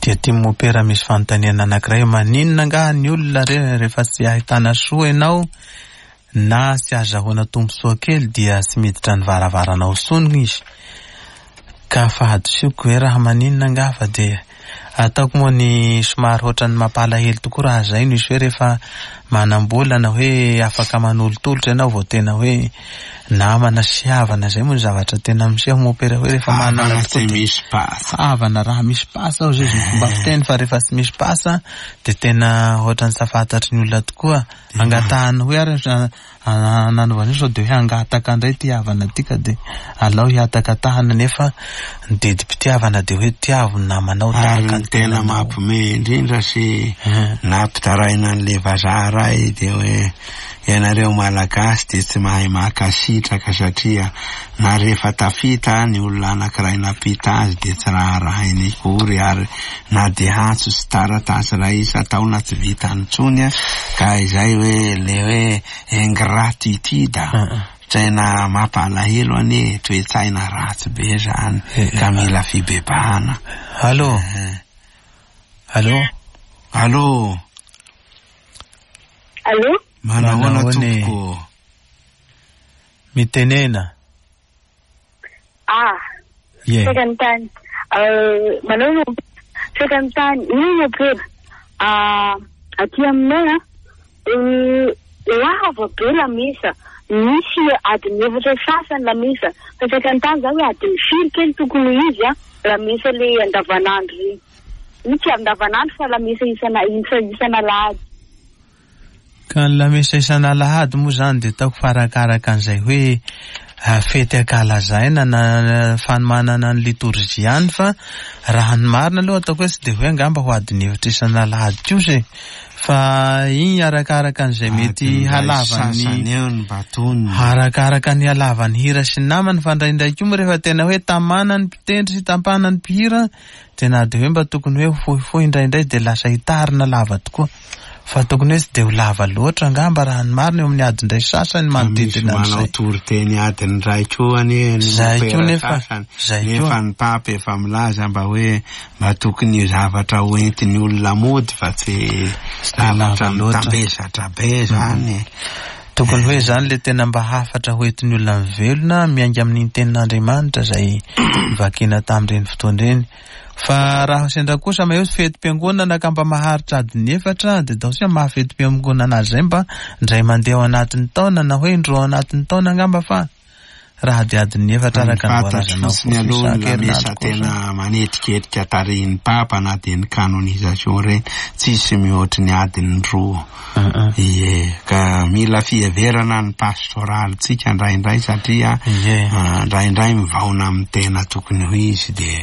Dia ty mompera misy fanontaniana anankiray, maninona angaha ny olona rehefa tsy ahitana soa ianao na tsy azahoana tombontsoa kely dia tsy miditra ny varavaranao intsony izy? Ka fahadisoako ve raha maninona angaha fa dia ataoko moa ny somary ohatran'ny mampalahelo tokoa raha zay no izy hoe rehefa manam-bola na hoe afaka manolotolotra ianao vao tena hoe namana sy havana, zay moa ny zavatra tena miseho mompera hoe rehefa manana Havana tokoa tsy dia misy pasa. Havana raha misy pasa ao zay izy ny fomba fiteny, fa rehefa tsy misy pasa dia tena ohatran'ny tsy fantatry ny olona tokoa. Angatahany hoe ary nanaovana io sao dia hoe hangataka indray ty havana ty ka dia alao hiatakatahana, nefa ny didim-pitiavana dia hoe tiavo ny namanao Ary tahaka ny ny tena tenanao. mampime indrindra sy nampitaraina an'le vazaha ray dia hoe ianareo Malagasy dia tsy mahay mankasitraka satria na rehefa tafita ny olona anankiray nampita azy dia tsy raharahainy akory, ary na dia antso sy taratasy iray isan-taona tsy vitany intsony a, ka izay hoe le hoe ingratitude tena mampalahelo anie, toe-tsaina ratsy be zany ka mila fibebahana. Allo. Allo. Allo. Allo. Manahoana Manahoana e? tompoko? Mitenena. Ah. Ye. Saika ny tany. Manao no saika ny tany. Ino mompera? Ah, aty aminay a, lava be lamesa. Misy adiny efatra sasany lamesa. Fa saika ny tany zany hoe adiny firy kely tokony ho izy a, lamesa le andavanandro iny. Io tsy andavanandro fa lamesa isan'alahady. Ka ny lamesa isan'alahady moa zany dia ataoko fa arakaraka an'izay hoe fety ankalazaina na fanomanana ny litorjia ihany, fa raha ny marina aloha ataoko hoe tsy dia hoe angamba ho adiny efatra isan'alahady kosa e, fa iny arakaraka an'izay mety Adiny iray halavan'ny sasany eo ny batoniny. Arakaraka ny halavan'ny hira sy ny namany, fa indraindray koa moa rehefa tena hoe tamana ny mpitendry sy tampana ny mpihira dia na dia hoe mba tokony hoe fohifohy indraindray dia lasa hitarina lava tokoa. Fa tokony hoe tsy dia ho lava loatra angamba raha ny marina eo amin'ny adiny iray sasany manodidina Misy manao an'izay. toriteny adiny iray koa anie ny Zay koa mopera nefa, sasany. zay Nefa koa. ny papa efa milaza mba hoe mba tokony zavatra ho entin'ny olona mody fa tsy Tsy dia lava zavatra loatra. mitambesatra be zany. Tokony hoe zany le tena mba hafatra ho entin'ny olona mivelona miainga amin'iny tenin'Andriamanitra izay vakina tamin'ireny fotoana ireny. Fa raha sendra kosa maha hoe fetim-piangonana ka mba maharitra adiny efatra dia ataontsika maha fetim-piangonana azy izay mba indray mandeha ao anatin'ny taona na hoe indroa ao anatin'ny taona angamba fa raha dia adiny efatra araka ny Fantatro voalazanao fotsiny aloha ny lamesa isan-kerinandro kosa. tena manetriketrika tarihin'ny papa na dia ny canonisation ireny tsisy mihoatry ny adiny roa. Ie, ka mila fiheverana ny pastoralintsika indraindray satria Ie. indraindray mivaona amin'ny tena tokony ho izy dia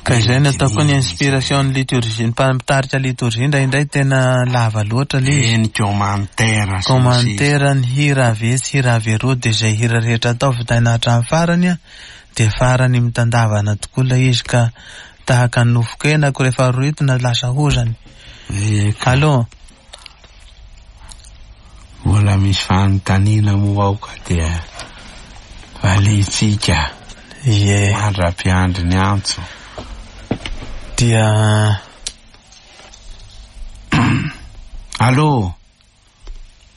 Ka izay no ataoko ny inspiration ny liturgie, ny mpitarika liturgie indraindray tena lava loatra le izy. Eny commentaire sy ny sisa. Commentaire ny hira avy etsy, hira avy eroa dia izay hira rehetra atao vitaina hatramin'ny farany a, dia farany mitandavana tokoa ilay izy ka tahaka ny nofon-kenako rehefa rohitina lasa hozany. Ie, ka Allô? mbola misy fanontaniana moa ao ka dia valiantsika Ie. mandra-piandry ny antso. Dia Allô?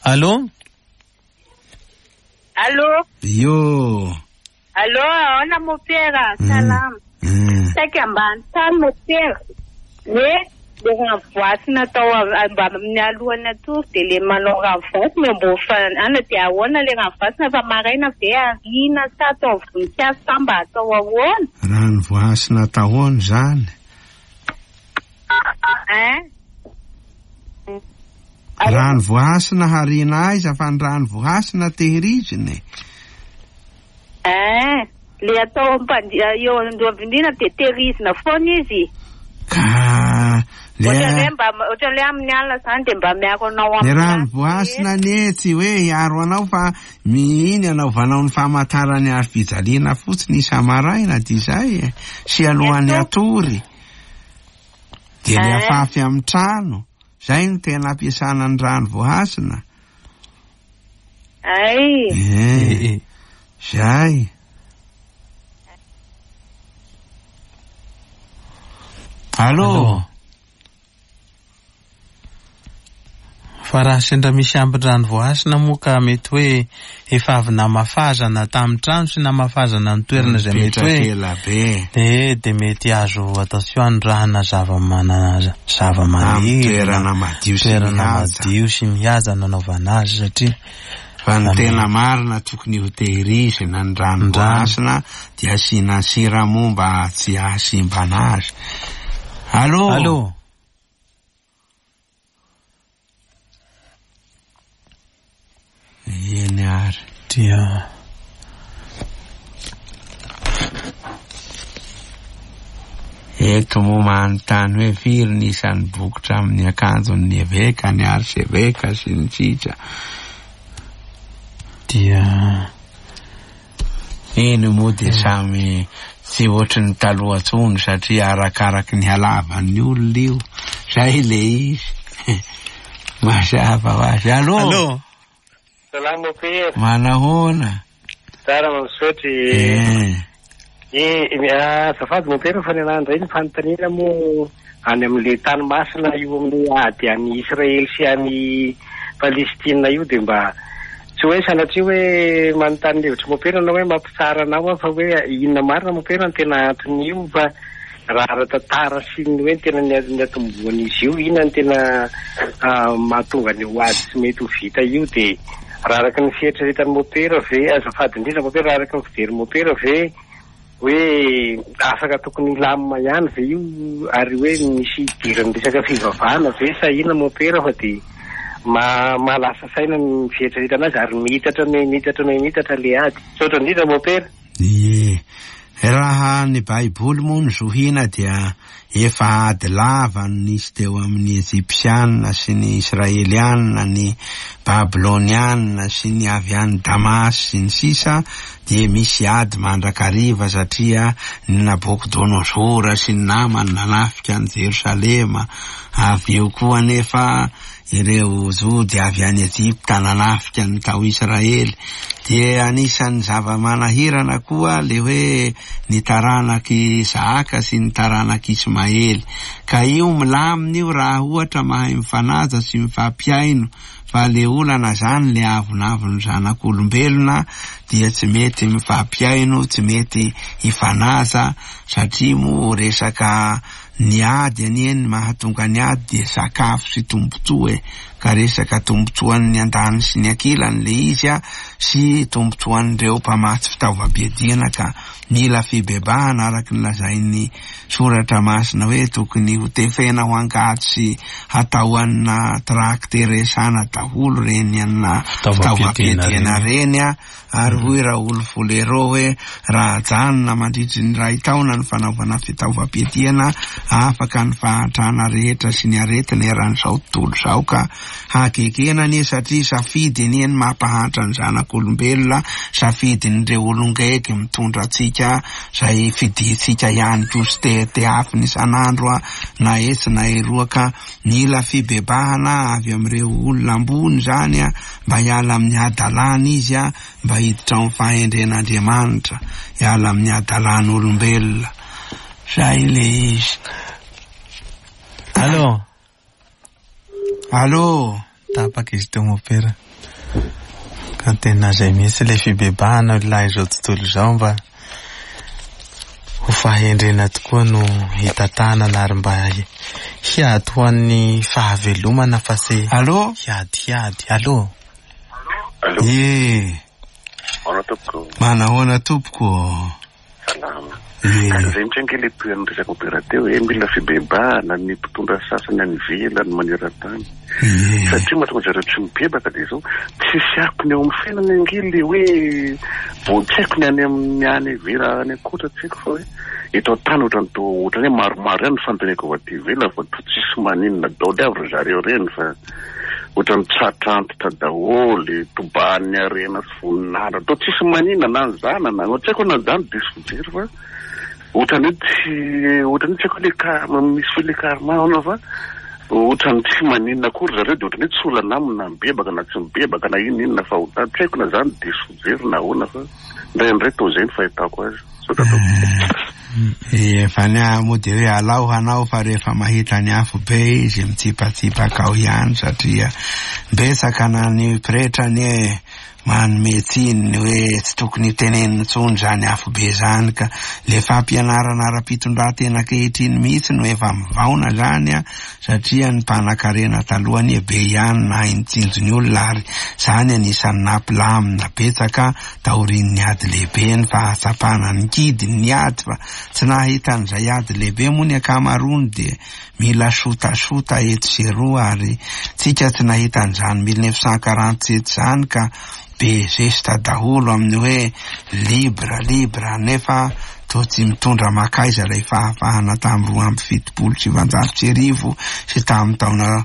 Allô? Allô? Io. Allô, ahoana mopera? Salama. Saika ambany tany mopera. Hoe le rano voasina atao mba amin'ny alohan'ny atory dia le manao rano voasina mbo ana dia ahoana le rano voasina fa maraina ve ariana sa atao voninkazo sa mba atao ahoana? Rano voasina atahoana zany. Hein? Rano voasina hariana aiza fa ny rano voasina tehirizina e. Hein? Le atao eo andoha-bindrina dia tehirizina foana izy. Ka le Ohatran'ny hoe mba ohatran'ny hoe amin'ny alina zany dia mba miaro anao ny amin'ny rano ratsy voasina anie tsy hoe hiaro anao fa mihiny anaovanao ny famantarany hazo fijaliana fotsiny isa-maraina dia izay e. Sy alohan'ny atory. Dia le Eh. afafy amin'ny trano. Zay no tena ampiasana ny rano voasina. Ay. Eh. Zay. Allô? Fa raha sendra misy ambin-drano voasina moa ka mety hoe efa avy namafazana tamin'ny trano sy namafazana ny toerana izay mety hoe Mipetraka ela be. dia mety azo atao tsy anondrahana zava-maniry Amin'ny toerana madio sy toerana mihaja. madio sy mihaja nanaovana azy satria Fa ny tena marina tokony ho tehirizina ny rano Ny rano. voasina dia asiana sira moa mba tsy hahasimbana azy. Allô? Allô? Eny ary. Dia Eto moa manontany hoe firy ny isan'ny bokotra amin'ny akanjon'ny eveka, ny arseveka sy ny sisa. Dia Eny moa dia samy tsy ohatry ny taloha intsony satria arakaraky ny halavan'ny olona io. Zay le izy. Mazava ho azy. Allô? Allô? Salama mopera. Manahoana? Tsara mampisaotry. Eh. Azafady mopera fa ny anahy indray ny fanontaniana moa any amin'le tany masina io amin'ny ady any Israely sy any Palestina io dia mba tsy hoe sanatria hoe manontany ny hevitry mopera na hoe mampitsara anao aho fa hoe inona marina mopera ny tena anton'io fa raha ara-tantara sy ny hoe ny tena ny atombohan'izy io inona ny tena mahatonga ny ho ady tsy mety ho vita io dia raha araka ny fieritreretan'ny mopera ve azafady indrindra mopera raha araka ny fijery mopera ve hoe afaka tokony hilamina ihany ve io ary hoe misy idiran'ny resaka fivavahana ve sa inona mopera fa dia mahalasa saina ny fieritreretana azy ary mihitatra mihitatra mihitatra le ady. Misaotra indrindra mopera. Ie. Raha ny Baiboly moa no zohina dia efa ady lava no nisy teo amin'ny Egyptiana sy ny Israeliana, ny Babyloniana sy ny avy any Damasy sy ny sisa dia misy ady mandrakariva satria ny Nabokodonozora sy ny namany nanafika an'i Jerosalema, avy eo koa anefa ireo Jody avy any Egypta nanafika ny tao Israely. Dia anisan'ny zava-manahirana koa le hoe ny taranak'i Isahaka sy ny taranak'i Ismaely. Ka io milamina io raha ohatra mahay mifanaja sy mifampihaino, fa le olana zany le avonavon'ny zanak'olombelona dia tsy mety mifampihaino, tsy mety hifanaja, satria moa resaka ny ady anie ny mahatonga ny ady dia sakafo sy tombontsoa e, ka resaka tombontsoan'ny andaniny sy ny ankilany le izy a, sy tombontsoan'ireo mpamatsy fitaovam-piadiana, ka mila fibebahana araka ny lazain'ny soratra masina hoe tokony ho tefena ho angady sy hatao anina trakteresana daholo reny anina fitaovam-piadiana reny a. Ary hoy Raoul Folero hoe raha ajanona mandritry ny iray taona ny fanaovana fitaovam-piadiana, afaka ny fahantrana rehetra sy ny aretina eran'izao tontolo izao, ka hagegena anie satria safidy anie ny mampahantra ny zanak'olombelona, safidin'ireo olon-gegy mitondra antsika izay fidintsika ihany koa sy te-tehafiny isan'andro na etsy na eroa, ka mila fibebahana avy amin'ireo olona ambony izany mba hiala amin'ny hadalana izy, mba hiditra ao amin'ny fahendren'Andriamanitra, hiala amin'ny hadalan'olombelona. Zay le izy. Allô? Allô? Tapaka izy teo mopera. Ka tena zay mihitsy ilay fibebahana lahy izao tontolo izao mba ho fahendrena tokoa no hitantanana ary mba hiady ho an'ny fahavelomana fa tsy Allô? hiadihiady. Allô? Allô? Ye. Ahoana tompoko? Manahoana tompoko? Salama. Ye. Ary izay mihitsy ange ilay toeran'ny resaka opéra teo hoe mila fibebahana ny mpitondra sasany any ivelany maneran-tany. Ye. Satria mahatonga zareo tsy mibebaka dia izao, tsisy akony eo amin'ny fiainana ange ilay hoe vao tsy haiko ny any amin'ny any ivelany any ankoatra tsy haiko fa hoe eto an-tany ohatran'ny toa ohatran'ny hoe maromaro ihany ny fanontaniako avy aty ivelany fa toa tsisy maninona daholo avy ry zareo ireny fa ohatran'ny tratra antitra daholo, tobahan'ny harena sy voninahitra, toa tsisy maninona na ny zanany, tsy haiko na izany diso fijery fa ohatran'ny hoe tsy ohatran'ny hoe tsy haiko hoe le karma, misy hoe le karma ahoana fa ohatran'ny tsy maninona akory zareo dia ohatran'ny hoe tsy olana aminy na mibebaka na tsy mibebaka na inona inona fahotana, tsy haiko na izany diso fijery na ahoana fa indraindray toa izay ny fahitako azy. Misaotra tompoko. Efa ny ahy moa dia hoe alao hanao fa rehefa mahita ny afo be izy mitsipatsipaka ao ihany satria betsaka na ny pretra anie manome tsiny ny hoe tsy tokony hotenenina intsony izany afo be izany, ka le fampianarana ara-pitondran-tena ankehitriny mihitsy no efa mivaona izany a, satria ny mpanakarena taloha anie be ihany nahay nitsinjo ny olona ary izany anisan'ny nampilamina betsaka taorian'ny ady lehibe ny fahatsapana ny kidy ny ady, fa tsy nahita an'izay ady lehibe moa ny ankamaroany dia mila sotasota etsy sy eroa, ary tsika tsy nahita an'izany 1947 izany ka be zesta daholo amin'ny hoe libre libre, nefa toa tsy mitondra makaiza ilay fahafahana tamin'ny 1972 sy tamin'ny taona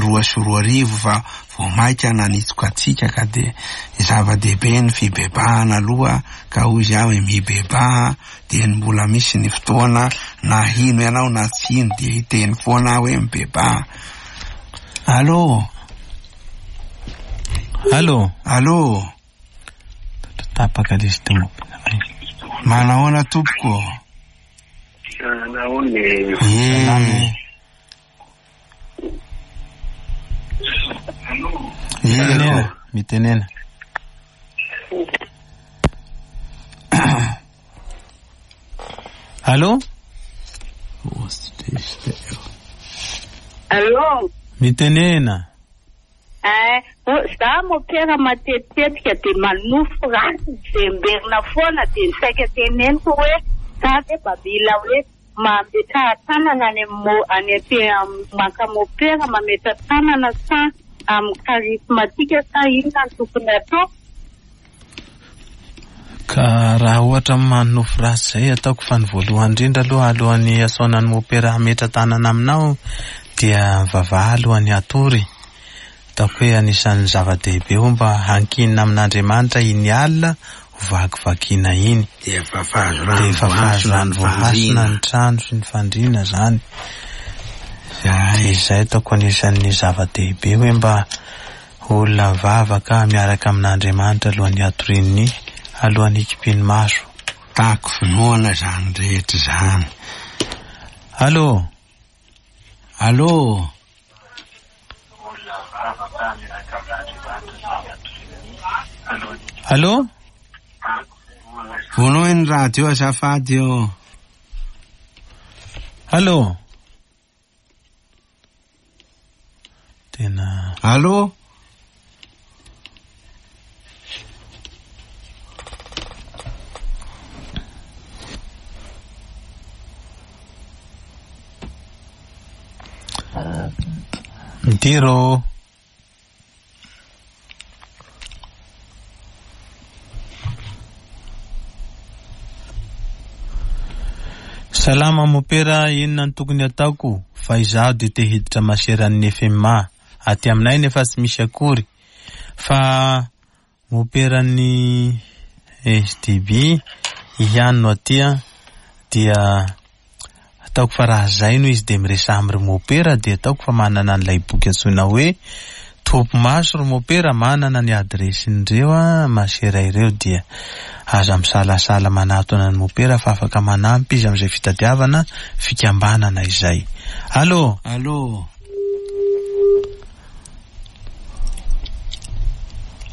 2002 fa vao maika nanitsoka antsika, ka dia zava-dehibe ny fibebahana aloha, ka hoy izy aho hoe mibebaha dia ny mbola misy ny fotoana na hino ianao na tsy hino dia hiteny foana aho hoe mibebaha. Allô? Allô? Allô? Tapaka ilay izy teo. Manahoana tompoko? Nahoana e? Ye. Mitenena, mitenena. Allô? Allô? Mitenena. Eh, za mopera matetitetika dia manofy ratsy mivemberina foana dia ny saika teneniko hoe za ve mba mila hoe mametraha tanana any amin'ny any am- maka mopera mametra tanana sa amin'ny charismatique sa inona no tokony atao? Ka raha ohatra manofy ratsy izay ataoko fa ny voalohany indrindra aloha alohan'ny asaonan'ny mopera hametra tanana aminao dia mivavaha alohan'ny hatory. Ataoko hoe anisan'ny zava-dehibe ho mba hankinina amin'Andriamanitra iny alina ho vakivakiana iny. Dia fafazo rano Dia fafazo rano voahasina ny trano sy ny fandriana zany. Zay. Dia izay ataoko anisan'ny zava-dehibe hoe mba olona mivavaka miaraka amin'Andriamanitra alohan'ny hatorian'ny alohan'ny hikipian'ny maso. Tako finoana zany rehetra zany. Allô? Allô? Allô? Vonoy ny radio azafady io. Allô? Tena Allô? Midiro. Salama mopera, inona no tokony ataoko fa izaho dia te hiditra maseran'ny FMA. Aty aminay nefa tsy misy akory. Fa moperan'ny SDB ihany no aty a, dia ataoko fa raha zay no izy dia miresaha amin'ny ry mopera dia ataoko fa manana an'ilay boky antsoina hoe Topo maso ry mopera manana ny adiresin'ireo a masera ireo dia aza misalasala manatona ny mopera fa afaka manampy izy amin'izay fitadiavana fikambanana izay. Allô? Allô?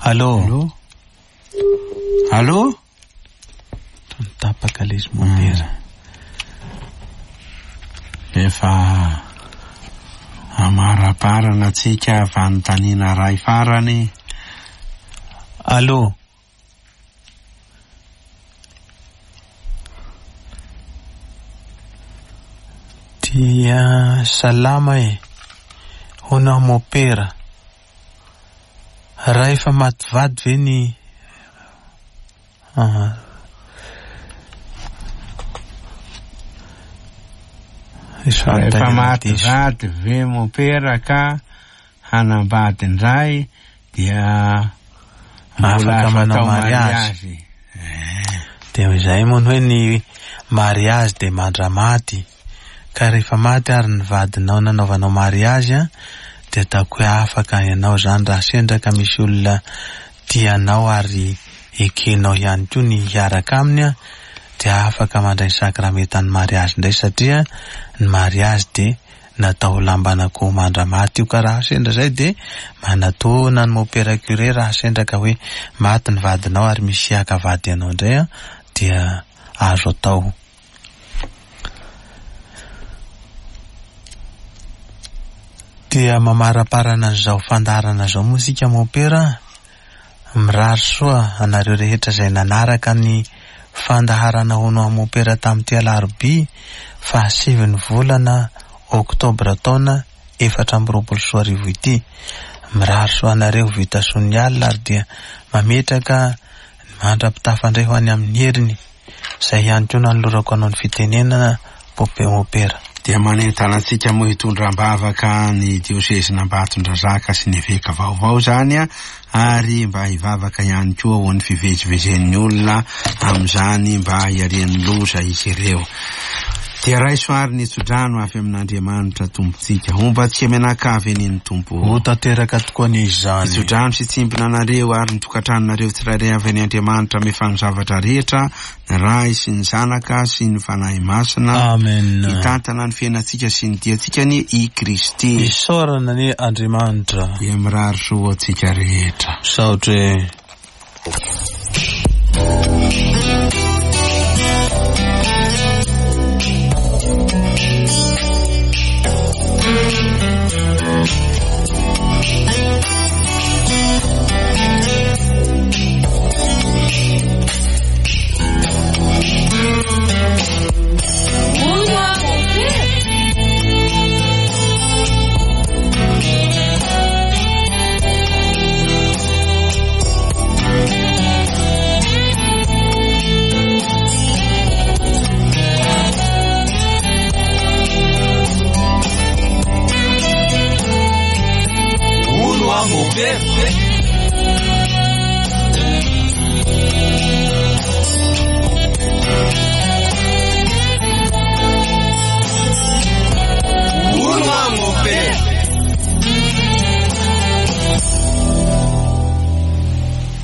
Allô? Allô? Allô? Tapaka ilay izy mopera. Efa amaraparana antsika fanontaniana ray farany. Allô? Dia salama e. Hono aho mopera. Raha efa maty vady ve ny Ah. Misy Rehefa fanontaniana maty diso. vady ve mopera ka hanambady indray dia mbola Afaka azo manao atao mariazy. mariazy. Dia izay moa ny hoe ny mariazy dia mandramaty. Ka rehefa maty ary ny vadinao nanaovanao mariazy a, dia ataoko hoe afaka ianao zany raha sendra ka misy olona tianao ary ekenao ihany koa ny hiaraka aminy a, dia afaka mandray sakramentan'ny mariazy indray satria ny mariazy dia natao ho lamban'akoho mandramaty io ka raha sendra zay dia manatona ny mopera curé raha sendra ka hoe maty ny vadinao ary misy haka vady anao indray a, dia azo atao. Dia mamaraparana an'izao fandaharana izao moa isika mopera, mirary soa anareo rehetra izay nanaraka ny fandaharana hono aho mopera tamin'ity alarobia fahasivin'ny volana oktobra taona 2024 ity. Mirary soa anareo vita soa ny alina ary dia mametraka ny mandra-pitafa indray ho any amin'ny heriny. Izay ihany koa nanolorako anao ny fitenenana pope mopera. Dia manentana antsika moa hitondra am-bavaka ny diosezin'Ambatondrazaka sy ny eveka vaovao zany a, ary mba hivavaka ihany koa ho an'ny fivezivezen'ny olona amin'izany mba hiarian'ny loza izy ireo. Dia raiso ary ny tsodrano avy amin'Andriamanitra Tompontsika. Homba antsika mianakavy anie ny Tompo. Ho tanteraka tokoa anie izany. Tsodrano sy tsimbina anareo ary ny tokantranonareo tsirairay avy any Andriamanitra mefa ny zavatra rehetra, ny Ray sy ny Zanaka sy ny Fanahy Masina. Amen. Hitantana ny fiainantsika sy ny diantsika anie i Kristy. Isaorana anie Andriamanitra. Dia mirary soa ho antsika rehetra. Misaotra e.